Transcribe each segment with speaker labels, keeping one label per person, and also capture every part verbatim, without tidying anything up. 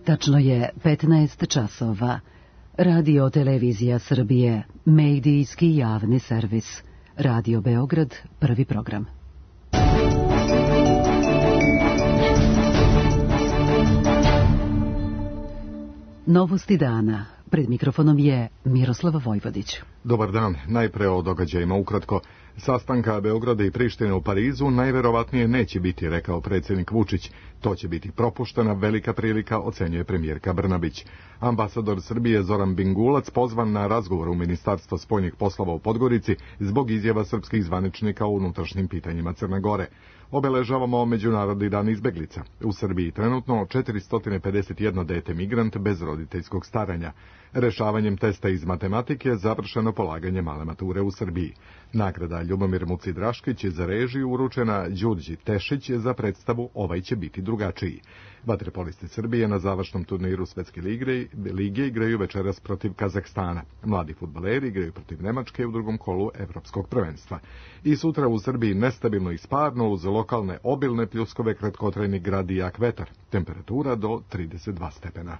Speaker 1: Tačno je petnaest časova. Radio Televizija Srbije, medijski javni servis. Radio Beograd, prvi program. Novosti dana. Pred mikrofonom je Miroslava Vojvodić.
Speaker 2: Dobar dan. Najpre o događajima ukratko. Sastanka Beograda i Prištine u Parizu najverovatnije neće biti, rekao predsjednik Vučić. To će biti propuštena velika prilika, ocenjuje premijerka Brnabić. Ambasador Srbije Zoran Bingulac pozvan na razgovor u Ministarstvo spoljnih poslova u Podgorici zbog izjava srpskih zvaničnika o unutrašnjim pitanjima Crne Gore. Obeležavamo Međunarodni dan izbeglica. U Srbiji trenutno četiristo pedeset jedno dete migrant bez roditeljskog staranja. Rešavanjem testa iz matematike završeno polaganje male mature u Srbiji. Nagrada Ljubomir Muci-Draškić za režiju uručena Đurđi Tešić za predstavu Ovaj će biti drugačiji. Vaterpolisti Srbije na završnom turniru Svetske lige, lige igraju večeras protiv Kazahstana. Mladi fudbaleri igraju protiv Nemačke u drugom kolu Evropskog prvenstva. I sutra u Srbiji nestabilno i sparno uz lokalne obilne pljuskove, kratkotrajni grad i jak vetar. Temperatura do trideset dva stepena.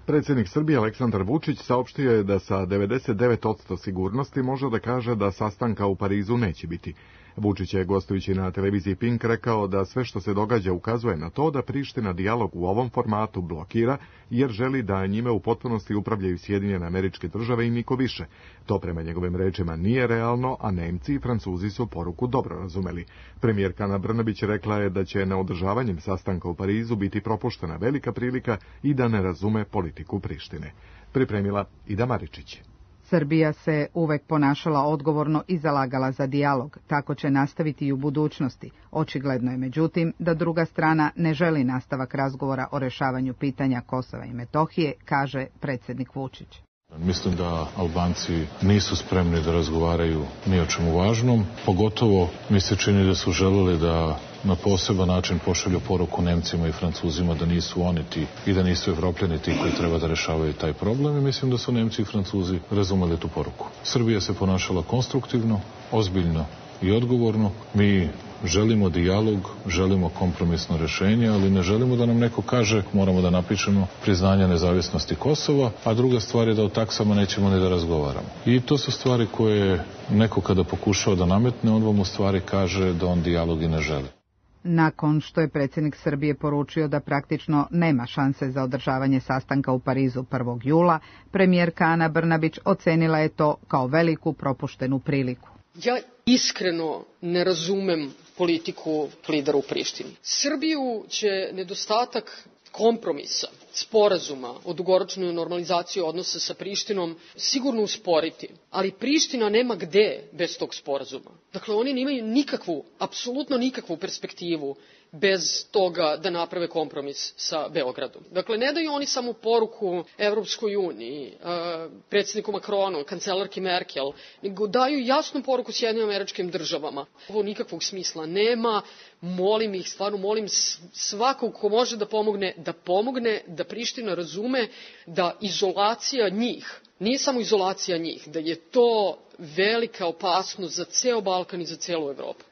Speaker 2: Predsjednik Srbije Aleksandar Vučić saopštio je da sa devedeset devet posto sigurnosti može da kaže da sastanka u Parizu neće biti. Vučić je, gostujući na televiziji Pink, rekao da sve što se događa ukazuje na to da Priština dijalog u ovom formatu blokira, jer želi da njime u potpunosti upravljaju Sjedinjene Američke Države i niko više. To prema njegovim rečima nije realno, a Nemci i Francuzi su poruku dobro razumeli. Premijerka Ana Brnabić rekla je da će neodržavanjem sastanka u Parizu biti propuštena velika prilika i da ne razume politiku Prištine. Pripremila Ida Maričić.
Speaker 3: Srbija se uvek ponašala odgovorno i zalagala za dijalog, tako će nastaviti i u budućnosti. Očigledno je međutim da druga strana ne želi nastavak razgovora o rešavanju pitanja Kosova i Metohije, kaže predsjednik Vučić.
Speaker 4: Mislim da Albanci nisu spremni da razgovaraju ni o čemu važnom, pogotovo mi se čini da su želeli da na poseban način pošalju poruku Nemcima i Francuzima da nisu oni ti i da nisu Evropljani ti koji treba da rešavaju taj problem, i mislim da su Nemci i Francuzi razumeli tu poruku. Srbija se ponašala konstruktivno, ozbiljno i odgovorno. Mi želimo dijalog, želimo kompromisno rešenje, ali ne želimo da nam neko kaže moramo da napišemo priznanje nezavisnosti Kosova, a druga stvar je da o taksama nećemo ni da razgovaramo. I to su stvari koje neko kada pokušao da nametne, on vam u stvari kaže da on dijalog i ne želi.
Speaker 3: Nakon što je predsjednik Srbije poručio da praktično nema šanse za održavanje sastanka u Parizu prvog jula, premijerka Ana Brnabić ocenila je to kao veliku propuštenu priliku.
Speaker 5: Ja iskreno ne razumem politiku lidera u Prištini. Srbiju će nedostatak kompromisa, sporazuma o dugoročnoj normalizaciji odnosa sa Prištinom sigurno usporiti, ali Priština nema gde bez tog sporazuma. Dakle, oni nemaju nikakvu, apsolutno nikakvu perspektivu bez toga da naprave kompromis sa Beogradom. Dakle, ne daju oni samo poruku Evropskoj uniji, predsjedniku Macronu, kancelarki Merkel, nego daju jasnu poruku Sjedinjenim Američkim Državama. Ovo nikakvog smisla nema. Molim ih, stvarno molim svakog ko može da pomogne, da pomogne, da Priština razume da izolacija njih, nije samo izolacija njih, da je to velika opasnost za ceo Balkan i za celu Evropu.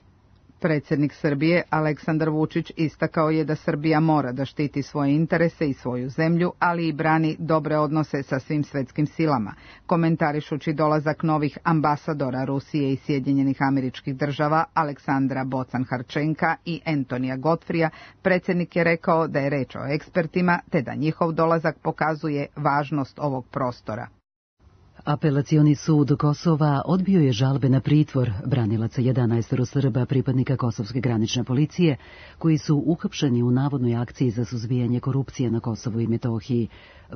Speaker 3: Predsjednik Srbije Aleksandar Vučić istakao je da Srbija mora da štiti svoje interese i svoju zemlju, ali i brani dobre odnose sa svim svetskim silama. Komentarišući dolazak novih ambasadora Rusije i Sjedinjenih Američkih Država Aleksandra Bocan-Harčenka i Antonija Godfrija, predsjednik je rekao da je reč o ekspertima te da njihov dolazak pokazuje važnost ovog prostora.
Speaker 1: Apelacioni sud Kosova odbio je žalbe na pritvor branilaca jedanaest Srba pripadnika Kosovske granične policije koji su uhapšeni u navodnoj akciji za suzbijanje korupcije na Kosovu i Metohiji,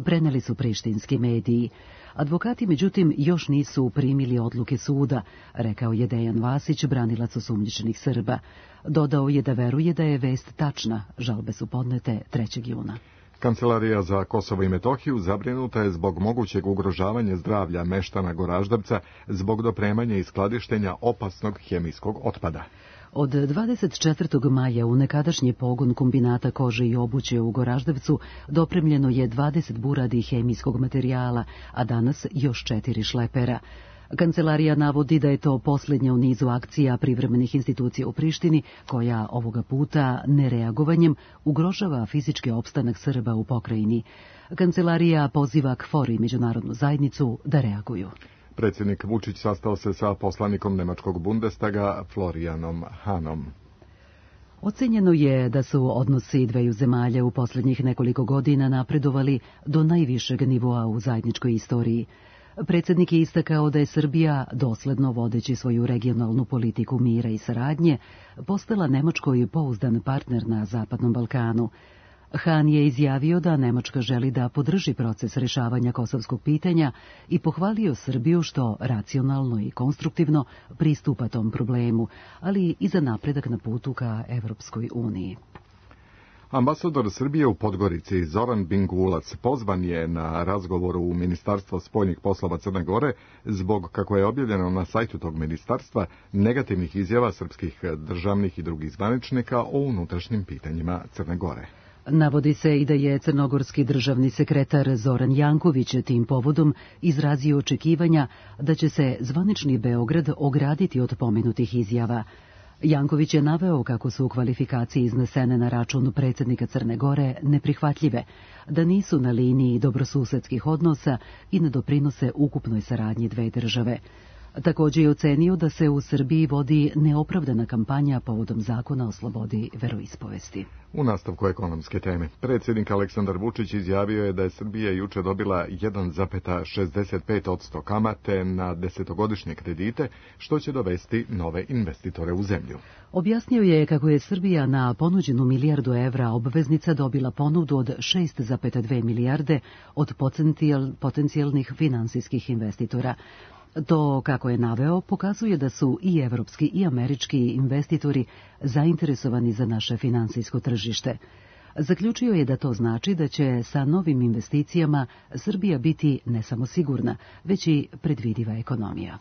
Speaker 1: preneli su prištinski mediji. Advokati, međutim, još nisu primili odluke suda, rekao je Dejan Vasić, branilac osumnjičenih Srba. Dodao je da veruje da je vest tačna, žalbe su podnete trećeg juna.
Speaker 2: Kancelarija za Kosovo i Metohiju zabrinuta je zbog mogućeg ugrožavanja zdravlja meštana Goraždevca zbog dopremanja i skladištenja opasnog hemijskog otpada.
Speaker 1: Od dvadeset četvrtog maja u nekadašnji pogon kombinata kože i obuće u Goraždevcu dopremljeno je dvadeset buradi hemijskog materijala, a danas još četiri šlepera. Kancelarija navodi da je to posljednja u nizu akcija privremenih institucija u Prištini, koja ovoga puta nereagovanjem ugrožava fizički opstanak Srba u pokrajini. Kancelarija poziva KFOR i međunarodnu zajednicu da reaguju.
Speaker 2: Predsjednik Vučić sastao se sa poslanikom nemačkog Bundestaga Florianom Hanom.
Speaker 1: Ocenjeno je da su odnosi dveju zemalja u posljednjih nekoliko godina napredovali do najvišeg nivoa u zajedničkoj istoriji. Predsjednik je istakao da je Srbija, dosledno vodeći svoju regionalnu politiku mira i saradnje, postala Nemačkoj pouzdan partner na Zapadnom Balkanu. Han je izjavio da Nemačka želi da podrži proces rješavanja kosovskog pitanja i pohvalio Srbiju što racionalno i konstruktivno pristupa tom problemu, ali i za napredak na putu ka Evropskoj uniji.
Speaker 2: Ambasador Srbije u Podgorici Zoran Bingulac pozvan je na razgovoru u Ministarstvo spoljnih poslova Crne Gore zbog, kako je objavljeno na sajtu tog ministarstva, negativnih izjava srpskih državnih i drugih zvaničnika o unutrašnjim pitanjima Crne Gore.
Speaker 1: Navodi se i da je crnogorski državni sekretar Zoran Janković tim povodom izrazio očekivanja da će se zvanični Beograd ograditi od pomenutih izjava. Janković je naveo kako su kvalifikacije iznesene na račun predsjednika Crne Gore neprihvatljive, da nisu na liniji dobrosusedskih odnosa i ne doprinose ukupnoj saradnji dve države. Također je ocenio da se u Srbiji vodi neopravdana kampanja povodom zakona o slobodi veroispovesti.
Speaker 2: U nastavku ekonomske teme, predsjednik Aleksandar Vučić izjavio je da je Srbija juče dobila jedan zarez šezdeset pet posto kamate na desetogodišnje kredite, što će dovesti nove investitore u zemlju.
Speaker 1: Objasnio je kako je Srbija na ponuđenu milijardu evra obveznica dobila ponudu od šest zarez dve milijarde od potencijalnih finansijskih investitora. To, kako je naveo, pokazuje da su i evropski i američki investitori zainteresovani za naše finansijsko tržište. Zaključio je da to znači da će sa novim investicijama Srbija biti ne samo sigurna, već i predvidiva ekonomija.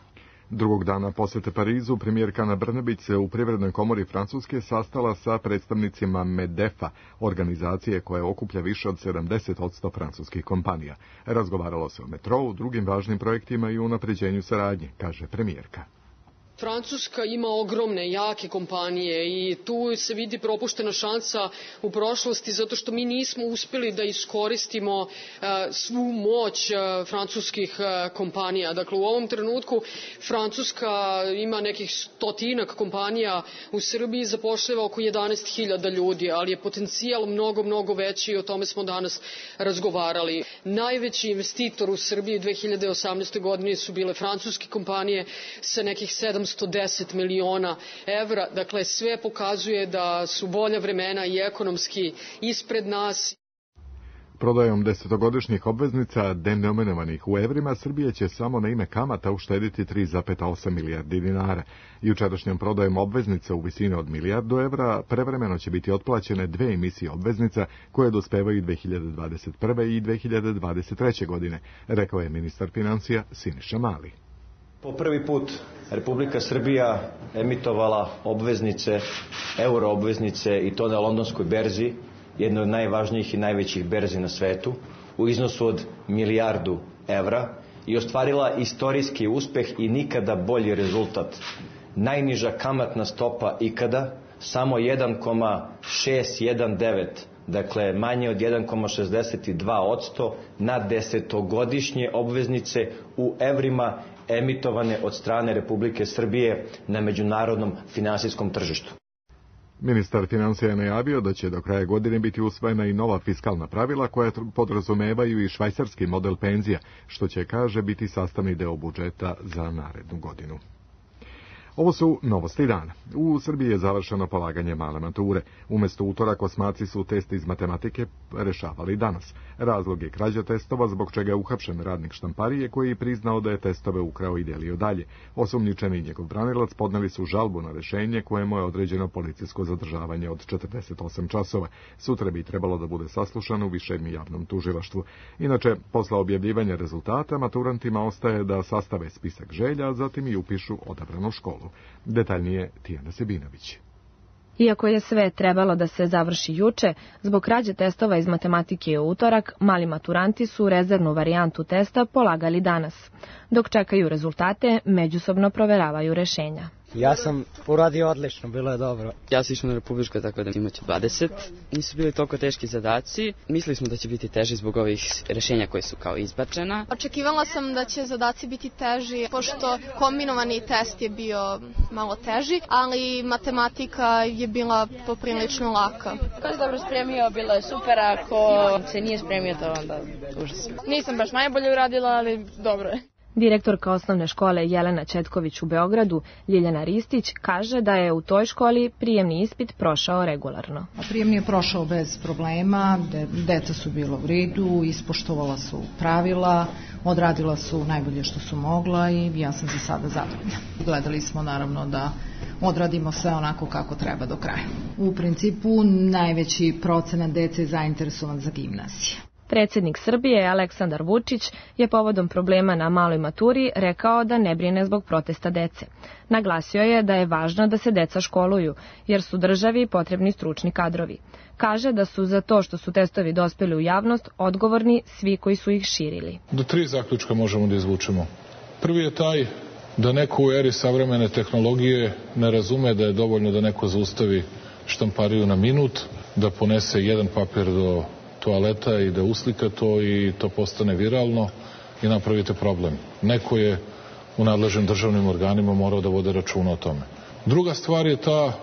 Speaker 2: Drugog dana posjete Parizu, premijerka Ana Brnabić se u Privrednoj komori Francuske sastala sa predstavnicima Medefa, organizacije koja okuplja više od sedamdeset posto francuskih kompanija. Razgovaralo se o metrou, drugim važnim projektima i unapređenju saradnje, kaže premijerka.
Speaker 5: Francuska ima ogromne, jake kompanije i tu se vidi propuštena šansa u prošlosti zato što mi nismo uspjeli da iskoristimo uh, svu moć uh, francuskih uh, kompanija. Dakle, u ovom trenutku Francuska ima nekih stotinak kompanija u Srbiji, zapošljava oko jedanaest hiljada ljudi, ali je potencijal mnogo, mnogo veći i o tome smo danas razgovarali. Najveći investitor u Srbiji dve hiljade osamnaeste. godine su bile francuske kompanije sa nekih sedamsto deset miliona evra. Dakle, sve pokazuje da su bolja vremena i ekonomski ispred nas.
Speaker 2: Prodajom desetogodišnjih obveznica denominovanih u evrima, Srbija će samo na ime kamata uštediti tri zarez osam milijardi dinara. Jučerašnjom prodajom obveznica u visini od milijardu evra prevremeno će biti otplaćene dve emisije obveznica koje dospevaju dve hiljade dvadeset prve i dve hiljade dvadeset treće. godine, rekao je ministar financija Siniša Mali.
Speaker 6: Po prvi put Republika Srbija emitovala obveznice, euro obveznice i to na londonskoj berzi, jednoj od najvažnijih i najvećih berzi na svetu, u iznosu od milijardu evra i ostvarila istorijski uspeh i nikada bolji rezultat. Najniža kamatna stopa ikada, samo jedan zarez šest devetnaest, dakle manje od jedan zarez šezdeset dva posto na desetogodišnje obveznice u evrima emitovane od strane Republike Srbije na međunarodnom finansijskom tržištu.
Speaker 2: Ministar financija je najavio da će do kraja godine biti usvojena i nova fiskalna pravila koja podrazumevaju i švajcarski model penzija, što će, kaže, biti sastavni deo budžeta za narednu godinu. Ovo su novosti dana. U Srbiji je završeno polaganje male mature. Umjesto utorak osmaci su test iz matematike rešavali danas. Razlog je krađa testova, zbog čega je uhapšen radnik štamparije koji je priznao da je testove ukrao i delio dalje. Osumnjičeni i njegov branilac podneli su žalbu na rešenje kojemu je određeno policijsko zadržavanje od četrdeset osam časova. Sutra bi trebalo da bude saslušano u višem javnom tužilaštvu. Inače, posle objavljivanja rezultata, maturantima ostaje da sastave spisak želja, a zatim i upišu odabranu školu. Detaljnije Tijana Sebinović.
Speaker 7: Iako je sve trebalo da se završi juče, zbog krađe testova iz matematike u utorak, mali maturanti su rezervnu varijantu testa polagali danas. Dok čekaju rezultate, međusobno proveravaju rešenja.
Speaker 8: Ja sam uradio odlično, bilo je dobro.
Speaker 9: Ja sam išao na republičko, tako da imaće dvadeset. Nisu bili toliko teški zadaci. Mislili smo da će biti teži zbog ovih rešenja koje su kao izbačena.
Speaker 10: Očekivala sam da će zadaci biti teži, pošto kombinovani test je bio malo teži, ali matematika je bila poprilično laka.
Speaker 11: Ko se dobro spremio, bilo je super, ako se nije spremio, to onda užas. Nisam baš najbolje uradila, ali dobro je.
Speaker 7: Direktorka osnovne škole Jelena Četković u Beogradu, Ljiljana Ristić, kaže da je u toj školi prijemni ispit prošao regularno.
Speaker 12: Prijemni je prošao bez problema, deca su bila u redu, ispoštovala su pravila, odradila su najbolje što su mogla i ja sam za sada zadovoljna. Gledali smo naravno da odradimo sve onako kako treba do kraja. U principu najveći procenat dece je zainteresovan za gimnazije.
Speaker 7: Predsjednik Srbije Aleksandar Vučić je povodom problema na maloj maturi rekao da ne brine zbog protesta dece. Naglasio je da je važno da se deca školuju, jer su državi potrebni stručni kadrovi. Kaže da su za to što su testovi dospeli u javnost odgovorni svi koji su ih širili.
Speaker 4: Do tri zaključka možemo da izvučemo. Prvi je taj da neko u eri savremene tehnologije ne razume da je dovoljno da neko zaustavi štampariju na minut, da ponese jedan papir do toaleta i da uslika to i to postane viralno i napravite problem. Neko je u nadležnim državnim organima morao da vode računa o tome. Druga stvar je ta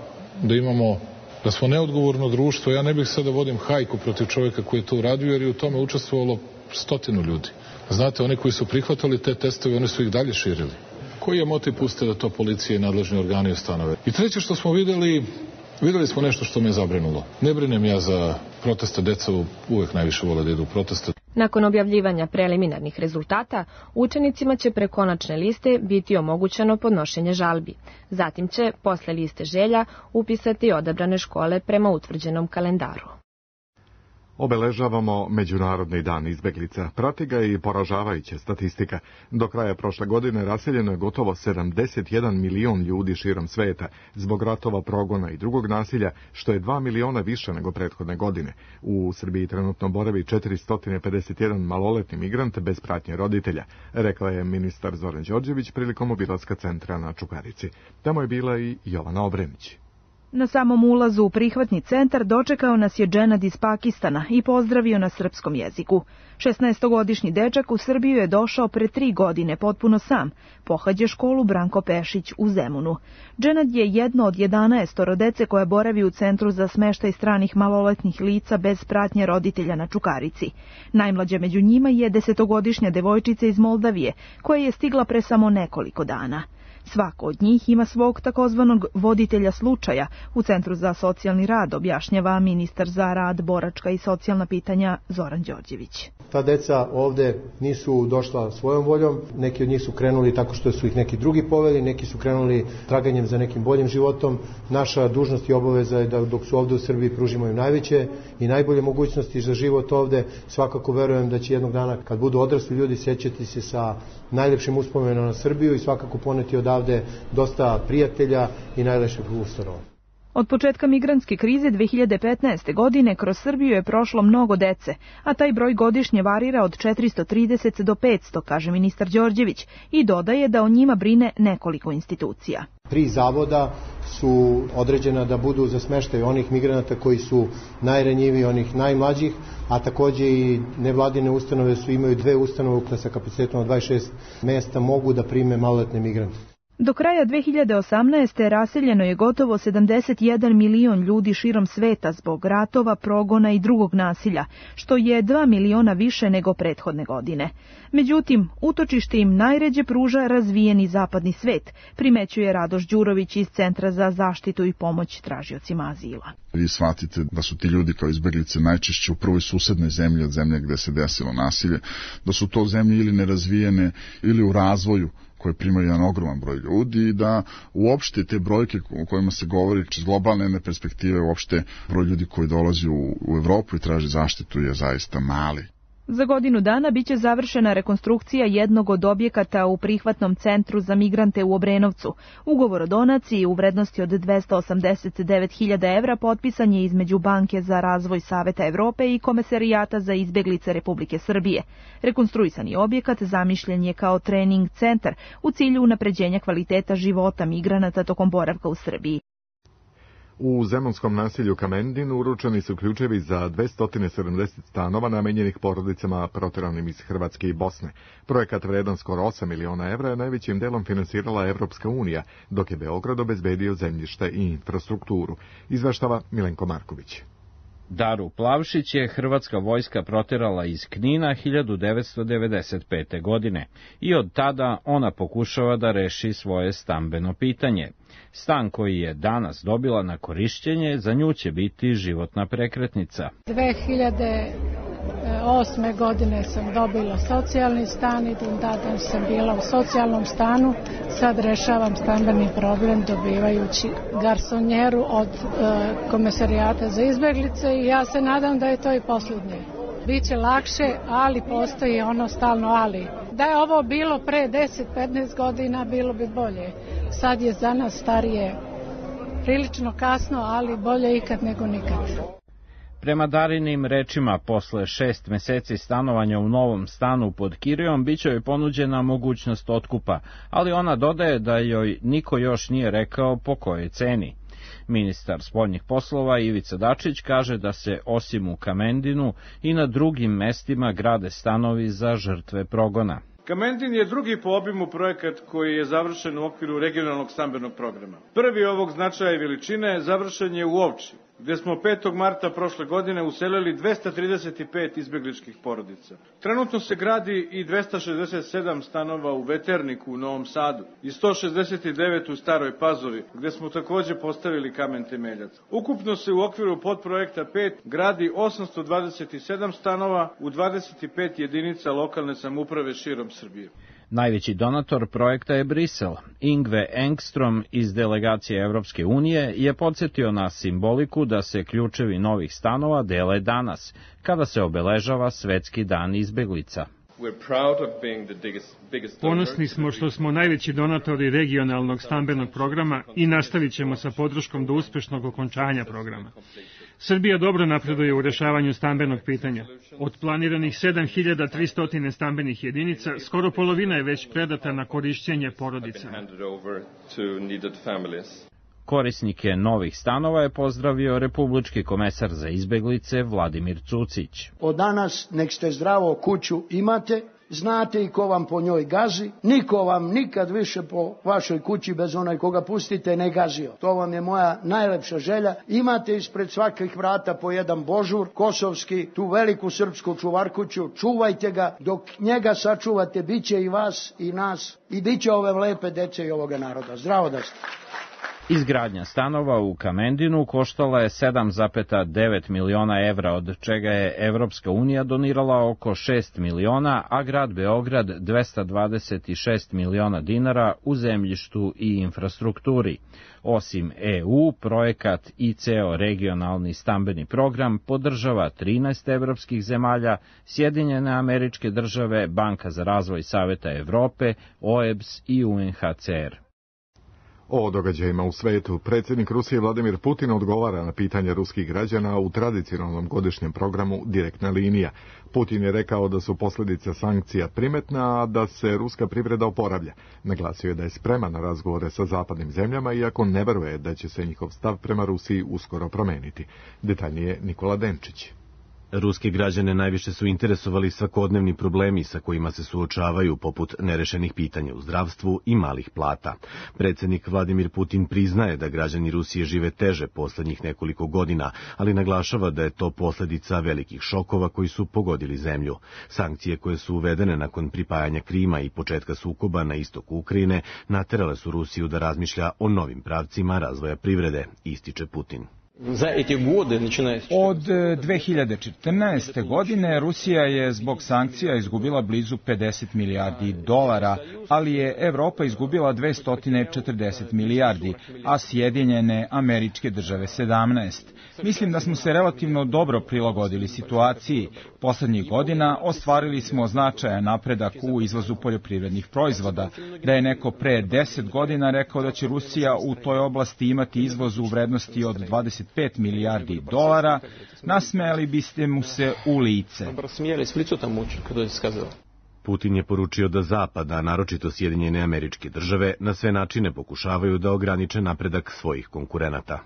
Speaker 4: da imamo, da smo neodgovorno društvo. Ja ne bih sada da vodim hajku protiv čovjeka koji je to uradio, jer je u tome učestvovalo stotinu ljudi. Znate, oni koji su prihvatali te testove, oni su ih dalje širili. Koji je motiv puste da to policija i nadležni organi ustanove? I treće što smo videli, videli smo nešto što me je zabrinulo. Ne brinem ja za proteste, deca uvek najviše vole da idu u proteste.
Speaker 7: Nakon objavljivanja preliminarnih rezultata, učenicima će pre konačne liste biti omogućeno podnošenje žalbi. Zatim će, posle liste želja, upisati odabrane škole prema utvrđenom kalendaru.
Speaker 2: Obeležavamo Međunarodni dan izbeglica. Prati ga i poražavajuća statistika. Do kraja prošle godine raseljeno je gotovo sedamdeset jedan milion ljudi širom sveta zbog ratova, progona i drugog nasilja, što je dva miliona više nego prethodne godine. U Srbiji trenutno boravi četiristo pedeset jedan maloletni migrant bez pratnje roditelja, rekla je ministar Zoran Đorđević prilikom obilaska centra na Čukarici. Tamo je bila i Jovana Obrenić.
Speaker 13: Na samom ulazu u prihvatni centar dočekao nas je Dženad iz Pakistana i pozdravio na srpskom jeziku. šesnaestogodišnji dečak u Srbiju je došao pre tri godine potpuno sam. Pohađa školu Branko Pešić u Zemunu. Dženad je jedno od jedanaestoro dece koje boravi u Centru za smeštaj stranih maloletnih lica bez pratnje roditelja na Čukarici. Najmlađa među njima je desetogodišnja devojčica iz Moldavije, koja je stigla pre samo nekoliko dana. Svako od njih ima svog takozvanog voditelja slučaja u Centru za socijalni rad, objašnjava ministar za rad, boračka i socijalna pitanja Zoran Đorđević.
Speaker 14: Ta deca ovde nisu došla svojom voljom, neki od njih su krenuli tako što su ih neki drugi poveli, neki su krenuli traganjem za nekim boljim životom. Naša dužnost i obaveza je da dok su ovde u Srbiji pružimo im najveće i najbolje mogućnosti za život ovde. Svakako verujem da će jednog dana, kad budu odrasli ljudi, sećati se sa najlepšim uspomenama na Srbiju i svakako poneti odavde dosta prijatelja i najlepših ustanova.
Speaker 13: Od početka migrantske krize dve hiljade petnaeste. godine kroz Srbiju je prošlo mnogo dece, a taj broj godišnje varira od četiristo trideset do petsto, kaže ministar Đorđević, i dodaje da o njima brine nekoliko institucija.
Speaker 14: Tri zavoda su određena da budu za smeštaj onih migranata koji su najranjiviji, onih najmlađih, a takođe i nevladine ustanove su imaju dve ustanove sa kapacitetom od dvadeset šest mesta mogu da prime maloletne migrante.
Speaker 13: Do kraja dve hiljade osamnaeste. raseljeno je gotovo sedamdeset jedan milion ljudi širom sveta zbog ratova, progona i drugog nasilja, što je dva miliona više nego prethodne godine. Međutim, utočište im najređe pruža razvijeni zapadni svet, primećuje Radoš Đurović iz Centra za zaštitu i pomoć tražiocima azila.
Speaker 15: Vi shvatite da su ti ljudi kao izbeglice najčešće u prvoj susednoj zemlji od zemlje gde se desilo nasilje, da su to zemlje ili nerazvijene ili u razvoju koje primaju jedan ogroman broj ljudi i da uopšte te brojke o kojima se govori iz globalne perspektive, uopšte broj ljudi koji dolazi u, u Evropu i traži zaštitu je zaista mali.
Speaker 13: Za godinu dana biće završena rekonstrukcija jednog od objekata u prihvatnom centru za migrante u Obrenovcu. Ugovor o donaciji u vrednosti od dvesta osamdeset devet hiljada evra potpisan je između Banke za razvoj Saveta Evrope i Komesarijata za izbeglice Republike Srbije. Rekonstruisani objekat zamišljen je kao trening centar u cilju unapređenja kvaliteta života migranata tokom boravka u Srbiji.
Speaker 2: U zemunskom naselju Kamendin uručeni su ključevi za dvesta sedamdeset stanova namenjenih porodicama proteranim iz Hrvatske i Bosne. Projekat vredan skoro osam miliona evra je najvećim delom finansirala Evropska unija, dok je Beograd obezbedio zemljište i infrastrukturu. Izveštava Milenko Marković.
Speaker 16: Daru Plavšić je hrvatska vojska proterala iz Knina hiljadu devetsto devedeset pete. godine i od tada ona pokušava da reši svoje stambeno pitanje. Stan koji je danas dobila na korišćenje za nju će biti životna prekretnica.
Speaker 17: dve hiljade osme. godine sam dobila socijalni stan i tada sam bila u socijalnom stanu. Sad rešavam stambeni problem dobivajući garsonjeru od e, Komesarijata za izbeglice i ja se nadam da je to i posljednje. Biće lakše, ali postoji ono stalno ali. Da je ovo bilo pre deset do petnaest godina, bilo bi bolje. Sad je za nas starije prilično kasno, ali bolje ikad nego nikad.
Speaker 16: Prema Darinim rečima, posle šest meseci stanovanja u novom stanu pod kirijom, biće joj ponuđena mogućnost otkupa, ali ona dodaje da joj niko još nije rekao po kojoj ceni. Ministar spoljnih poslova Ivica Dačić kaže da se osim u Kamendinu i na drugim mestima grade stanovi za žrtve progona.
Speaker 18: Kamendin je drugi po obimu projekat koji je završen u okviru regionalnog stambenog programa. Prvi ovog značaja i veličine završen je u Ovči, gde smo petog marta prošle godine uselili dvesta trideset pet izbegličkih porodica. Trenutno se gradi i dvesta šezdeset sedam stanova u Veterniku u Novom Sadu i sto šezdeset devet u Staroj Pazovi, gde smo takođe postavili kamen temeljac. Ukupno se u okviru podprojekta pet gradi osamsto dvadeset sedam stanova u dvadeset pet jedinica lokalne samouprave širom Srbije.
Speaker 16: Najveći donator projekta je Brisel. Ingve Engstrom iz delegacije Evropske unije je podsjetio na simboliku da se ključevi novih stanova dele danas, kada se obeležava Svetski dan izbeglica.
Speaker 19: Ponosni smo što smo najveći donatori regionalnog stambenog programa i nastavit ćemo sa podrškom do uspešnog okončanja programa. Srbija dobro napreduje u rešavanju stambenog pitanja. Od planiranih sedam hiljada tristo stambenih jedinica, skoro polovina je već predata na korišćenje porodicama.
Speaker 16: Korisnike novih stanova je pozdravio republički komesar za izbeglice Vladimir Cucić.
Speaker 20: Od danas nek ste zdravo kuću imate, znate i ko vam po njoj gazi, niko vam nikad više po vašoj kući bez onaj koga pustite ne gazio. To vam je moja najlepša želja. Imate ispred svakih vrata po jedan božur, kosovski, tu veliku srpsku čuvarkuću, čuvajte ga, dok njega sačuvate, bit će i vas i nas i bit će ove lepe dece i ovoga naroda. Zdravo da ste.
Speaker 16: Izgradnja stanova u Kamendinu koštala je sedam zarez devet miliona evra, od čega je Evropska unija donirala oko šest miliona, a grad Beograd dvesta dvadeset šest miliona dinara u zemljištu i infrastrukturi. Osim E U, projekat i ceo regionalni stambeni program podržava trinaest evropskih zemalja, Sjedinjene Američke Države, Banka za razvoj Saveta Evrope, O E B S i U N H C R.
Speaker 2: O događajima u svetu, predsjednik Rusije Vladimir Putin odgovara na pitanje ruskih građana u tradicionalnom godišnjem programu Direktna linija. Putin je rekao da su posljedice sankcija primetna, a da se ruska privreda oporavlja. Naglasio je da je spreman na razgovore sa zapadnim zemljama, iako ne veruje da će se njihov stav prema Rusiji uskoro promeniti. Detaljnije Nikola Denčić.
Speaker 21: Ruske građane najviše su interesovali svakodnevni problemi sa kojima se suočavaju, poput nerešenih pitanja u zdravstvu i malih plata. Predsjednik Vladimir Putin priznaje da građani Rusije žive teže poslednjih nekoliko godina, ali naglašava da je to posljedica velikih šokova koji su pogodili zemlju. Sankcije koje su uvedene nakon pripajanja Krima i početka sukoba na istoku Ukrajine naterale su Rusiju da razmišlja o novim pravcima razvoja privrede, ističe Putin.
Speaker 3: Od dve hiljade četrnaeste. godine Rusija je zbog sankcija izgubila blizu pedeset milijardi dolara, ali je Evropa izgubila dvesta četrdeset milijardi, a Sjedinjene Američke Države sedamnaest. Mislim da smo se relativno dobro prilagodili situaciji. Poslednjih godina ostvarili smo značajan napredak u izvozu poljoprivrednih proizvoda. Da je neko pre deset godina rekao da će Rusija u toj oblasti imati izvoz u vrednosti od dvadeset pet milijardi dolara, nasmejali biste mu se u lice.
Speaker 21: Putin je poručio da Zapad, a naročito Sjedinjene Američke Države, na sve načine pokušavaju da ograniče napredak svojih konkurenata.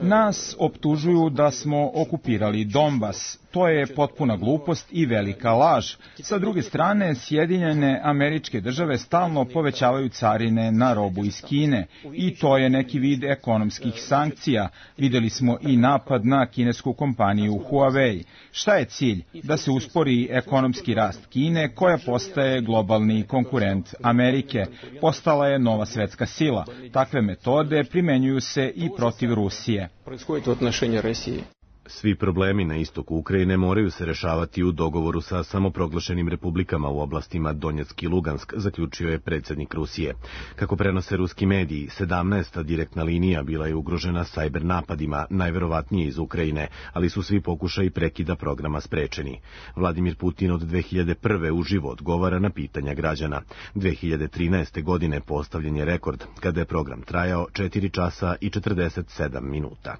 Speaker 3: Nas optužuju da smo okupirali Donbas. To je potpuna glupost i velika laž. Sa druge strane, Sjedinjene Američke Države stalno povećavaju carine na robu iz Kine i to je neki vid ekonomskih sankcija. Videli smo i napad na kinesku kompaniju Huawei. Šta je cilj? Da se uspori ekonomski rast Kine, koja postaje globalni konkurent Amerike. Postala je nova svetska sila. Takve metode primenjuju se i protiv Rusije.
Speaker 21: Svi problemi na istoku Ukrajine moraju se rešavati u dogovoru sa samoproglašenim republikama u oblastima Donjeck i Lugansk, zaključio je predsjednik Rusije. Kako prenose ruski mediji, sedamnaesta direktna linija bila je ugrožena sajber napadima, najverovatnije iz Ukrajine, ali su svi pokušaji prekida programa sprečeni. Vladimir Putin od dve hiljade prve uživo odgovara na pitanja građana. dve hiljade trinaeste. godine postavljen je rekord, kada je program trajao četiri časa i četrdeset sedam minuta.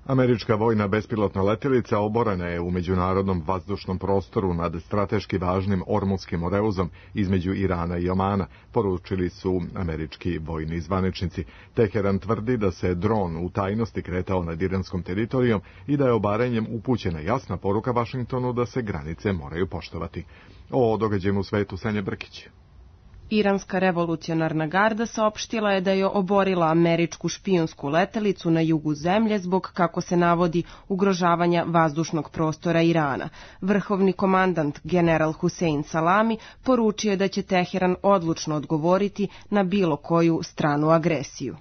Speaker 2: Američka vojna bespilotna letjelica oborena je u međunarodnom vazdušnom prostoru nad strateški važnim Ormutskim oreuzom između Irana i Omana, poručili su američki vojni zvaničnici. Teheran tvrdi da se dron u tajnosti kretao nad iranskom teritorijom i da je obaranjem upućena jasna poruka Vašingtonu da se granice moraju poštovati. O događaju u svetu Sanja Brkić.
Speaker 22: Iranska revolucionarna garda saopštila je da je oborila američku špijunsku letelicu na jugu zemlje zbog, kako se navodi, ugrožavanja vazdušnog prostora Irana. Vrhovni komandant general Hussein Salami poručio je da će Teheran odlučno odgovoriti na bilo koju stranu agresiju.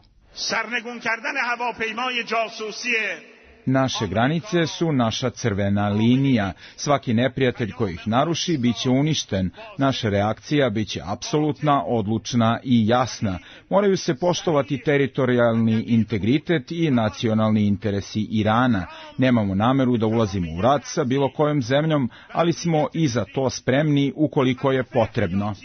Speaker 3: Naše granice su naša crvena linija. Svaki neprijatelj koji ih naruši biće uništen. Naša reakcija biće apsolutna, odlučna i jasna. Moraju se poštovati teritorijalni integritet i nacionalni interesi Irana. Nemamo nameru da ulazimo u rat sa bilo kojom zemljom, ali smo i za to spremni ukoliko je potrebno.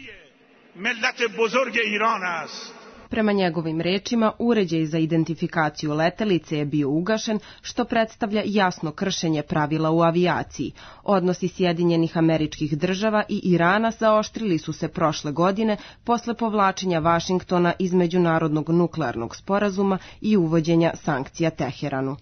Speaker 22: Prema njegovim rečima, uređaj za identifikaciju letelice je bio ugašen, što predstavlja jasno kršenje pravila u avijaciji. Odnosi Sjedinjenih Američkih Država i Irana zaoštrili su se prošle godine posle povlačenja Vašingtona iz međunarodnog nuklearnog sporazuma i uvođenja sankcija Teheranu.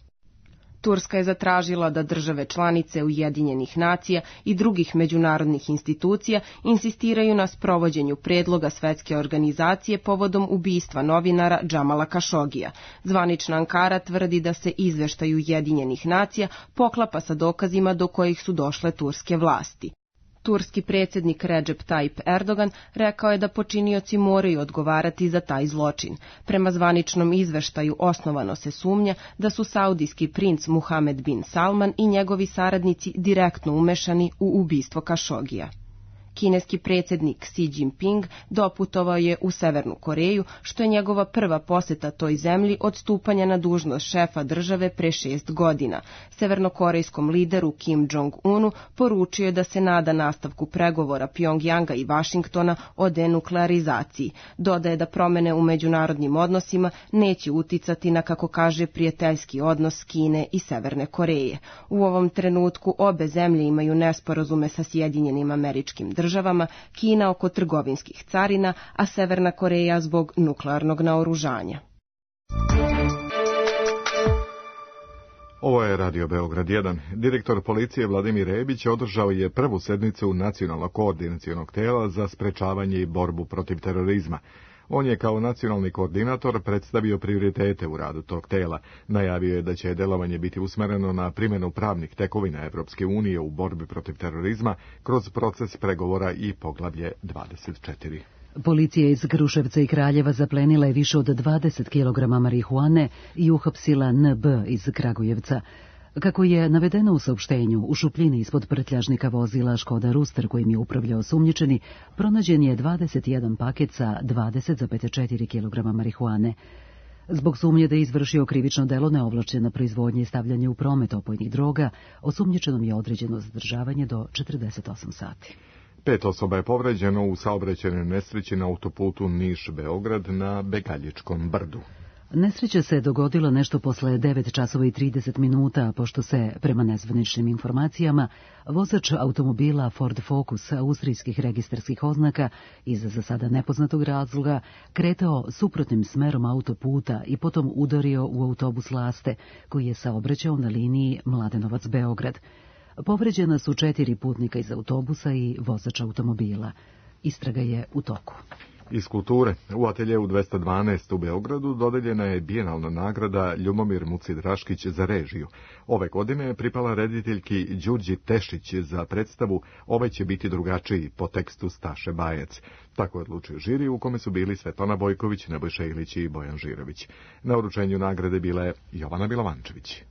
Speaker 22: Turska je zatražila da države članice Ujedinjenih nacija i drugih međunarodnih institucija insistiraju na sprovođenju predloga Svetske organizacije povodom ubistva novinara Džamala Kašogija. Zvanična Ankara tvrdi da se izveštaj Ujedinjenih nacija poklapa sa dokazima do kojih su došle turske vlasti. Turski predsjednik Recep Tayyip Erdogan rekao je da počinioci moraju odgovarati za taj zločin. Prema zvaničnom izveštaju osnovano se sumnja da su saudijski princ Muhammed bin Salman i njegovi saradnici direktno umešani u ubistvo Kašogija. Kineski predsjednik Xi Jinping doputovao je u Severnu Koreju, što je njegova prva poseta toj zemlji od stupanja na dužnost šefa države pre šest godina. Severnokorejskom lideru Kim Jong-unu poručio je da se nada nastavku pregovora Pjongjanga i Vašingtona o denuklearizaciji. Dodaje da promene u međunarodnim odnosima neće uticati na, kako kaže, prijateljski odnos Kine i Severne Koreje. U ovom trenutku obe zemlje imaju nesporazume sa Sjedinjenim Američkim Državama, državama, Kina oko trgovinskih carina, a Severna Koreja zbog nuklearnog naoružanja.
Speaker 2: Ovo je Radio Beograd jedan. Direktor policije Vladimir Rebić održao je prvu sednicu Nacionalnog koordinacionog tela za sprečavanje i borbu protiv terorizma. On je kao nacionalni koordinator predstavio prioritete u radu tog tela. Najavio je da će delovanje biti usmereno na primjenu pravnih tekovina Evropske unije u borbi protiv terorizma kroz proces pregovora i poglavlje dvadeset četiri.
Speaker 1: Policija iz Kruševca i Kraljeva zaplenila je više od dvadeset kilograma marihuane i uhapsila N B iz Kragujevca. Kako je navedeno u saopštenju, u šupljini ispod prtljažnika vozila Škoda Ruster kojim je upravljao osumnjičeni, pronađen je dvadeset jedan paket sa dvadeset zarez četiri kilograma marihuane. Zbog sumnje da je izvršio krivično delo neovlašćena proizvodnje i stavljanje u promet opojnih droga, osumnjičenom je određeno zadržavanje do četrdeset osam sati.
Speaker 2: Pet osoba je povređeno u saobraćajnoj nesreći na autoputu Niš-Beograd na Begaljičkom brdu.
Speaker 1: Nesreća se dogodila nešto posle devet časova i trideset minuta, pošto se, prema nezvaničnim informacijama, vozač automobila Ford Focus austrijskih registarskih oznaka iz za sada nepoznatog razloga kretao suprotnim smerom autoputa i potom udario u autobus Laste, koji je saobraćao na liniji Mladenovac-Beograd. Povređena su četiri putnika iz autobusa i vozač automobila. Istraga je u toku.
Speaker 2: Iz kulture, u ateljeu dvesta dvanaest u Beogradu dodeljena je bijenalna nagrada Ljubomir Muci Draškić za režiju. Ove godine je pripala rediteljki Đurđi Tešić za predstavu Ovaj će biti drugačiji po tekstu Staše Bajec. Tako je odlučio žiri u kome su bili Svetlana Bojković, Nebojša Ilić i Bojan Žirović. Na uručenju nagrade bila je Jovana Bilovančević.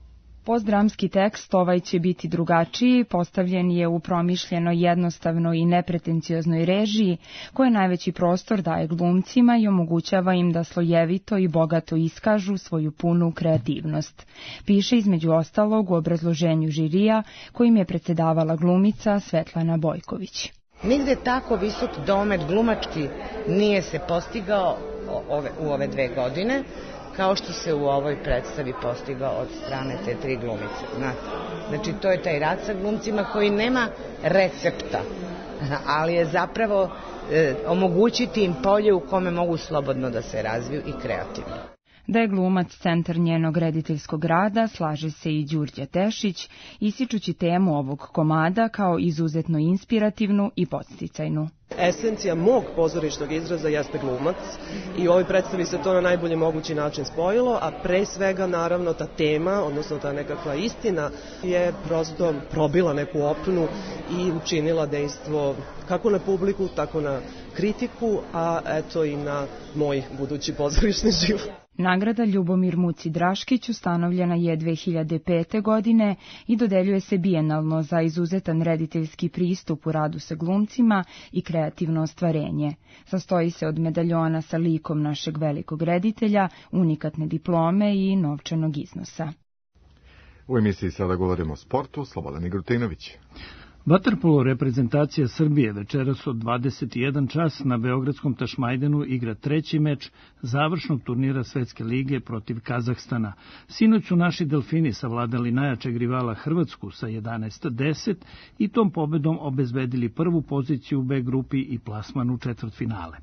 Speaker 5: Postdramski tekst Ovaj će biti drugačiji postavljen je u promišljeno jednostavnoj i nepretencioznoj režiji, koja najveći prostor daje glumcima i omogućava im da slojevito i bogato iskažu svoju punu kreativnost. Piše između ostalog u obrazloženju žirija kojim je predsedavala glumica Svetlana Bojković.
Speaker 23: Nigde tako visok domet glumački nije se postigao ove, u ove dve godine, kao što se u ovoj predstavi postigao od strane te tri glumice. Znate? Znači, to je taj rad sa glumcima koji nema recepta, ali je zapravo e, omogućiti im polje u kome mogu slobodno da se razviju i kreativno.
Speaker 5: Da je glumac centar njenog rediteljskog rada, slaže se i Đurđa Tešić, ističući temu ovog komada kao izuzetno inspirativnu i podsticajnu.
Speaker 24: Esencija mog pozorišnog izraza jeste glumac i u ovoj predstavi se to na najbolji mogući način spojilo, a pre svega naravno ta tema, odnosno ta nekakva istina je prosto probila neku opnu i učinila dejstvo kako na publiku, tako na kritiku, a eto i na moj budući pozorišni život.
Speaker 5: Nagrada Ljubomir Muci Draškić ustanovljena je dve hiljade pete. godine i dodeljuje se bijenalno za izuzetan rediteljski pristup u radu sa glumcima i kreativno ostvarenje. Sastoji se od medaljona sa likom našeg velikog reditelja, unikatne diplome i novčanog iznosa.
Speaker 2: U emisiji sada govorimo o sportu. Slobodan Igrutinović.
Speaker 19: Vaterpolo reprezentacija Srbije večeras od dvadeset jedan čas na beogradskom Tašmajdenu igra treći meč završnog turnira Svetske lige protiv Kazahstana. Sinoć su naši delfini savladali najjačeg rivala Hrvatsku sa jedanaest deset i tom pobedom obezbedili prvu poziciju u B grupi i plasman u četvrtfinale.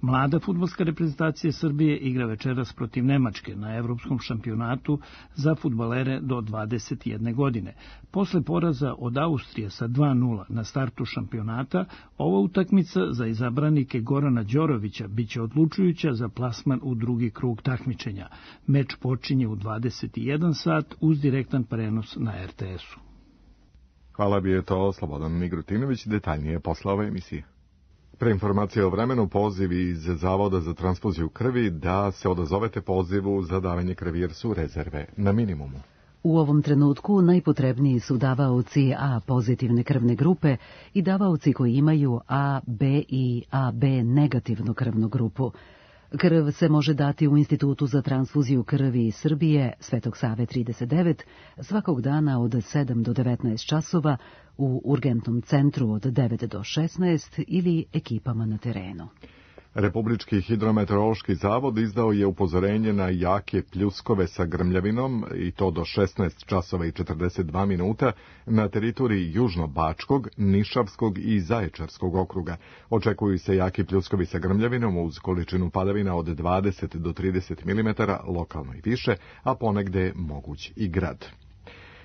Speaker 19: Mlada fudbalska reprezentacija Srbije igra večeras protiv Nemačke na evropskom šampionatu za fudbalere do dvadeset jedne godine. Posle poraza od Austrije sa dva nula na startu šampionata, ova utakmica za izabranike Gorana Đorovića biće odlučujuća za plasman u drugi krug takmičenja. Meč počinje u dvadeset jedan sat uz direktan prenos na er te esu.
Speaker 2: Hvala, bi je to Slobodan Igrutinović, detaljnije posle ove emisije. Pre informacije o vremenu, pozivi iz Zavoda za transfuziju krvi da se odazovete pozivu za davanje krvi jer su rezerve na minimumu.
Speaker 1: U ovom trenutku najpotrebniji su davaoci A pozitivne krvne grupe i davaoci koji imaju A, B i A B negativnu krvnu grupu. Krv se može dati u Institutu za transfuziju krvi Srbije, Svetog Save trideset devet, svakog dana od sedam do devetnaest časova, u urgentnom centru od devet do šesnaest ili ekipama na terenu.
Speaker 2: Republički hidrometeorološki zavod izdao je upozorenje na jake pljuskove sa grmljavinom i to do šesnaest časova i četrdeset dva minuta na teritoriji Južno-Bačkog, Nišavskog i Zaječarskog okruga. Očekuju se jaki pljuskovi sa grmljavinom uz količinu padavina od dvadeset do trideset milimetara, lokalno i više, a ponegde moguć i grad.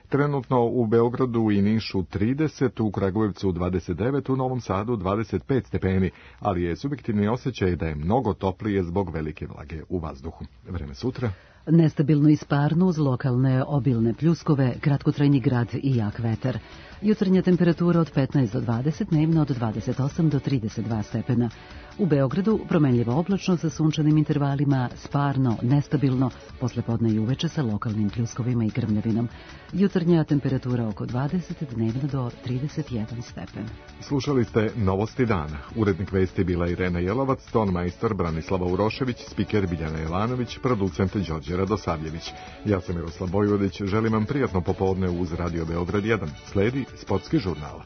Speaker 2: Trenutno u Beogradu i Nišu trideset, u Kragujevcu dvadeset devet, u Novom Sadu dvadeset pet stepeni, ali je subjektivni osjećaj da je mnogo toplije zbog velike vlage u vazduhu. Vreme sutra.
Speaker 1: Nestabilno i sparno uz lokalne obilne pljuskove, kratkotrajni grad i jak vetar. Jutarnja temperatura od petnaest do dvadeset, dnevno od dvadeset osam do trideset dva stepena. U Beogradu promenljivo oblačno sa sunčanim intervalima, sparno, nestabilno, poslepodne i uveče sa lokalnim pljuskovima i grmljavinom. Jutarnja temperatura oko dvadeset, dnevno do trideset jedan stepen.
Speaker 2: Slušali ste Novosti dana. Urednik vesti bila Irena Jelovac, tonmajstor Branislava Urošević, spiker Biljana Jovanović, producent Đorđe Radosavljević. Ja sam Miroslav Bojvodić, želim vam prijatno popodne uz Radio Beograd jedan. Sledi sportski žurnal.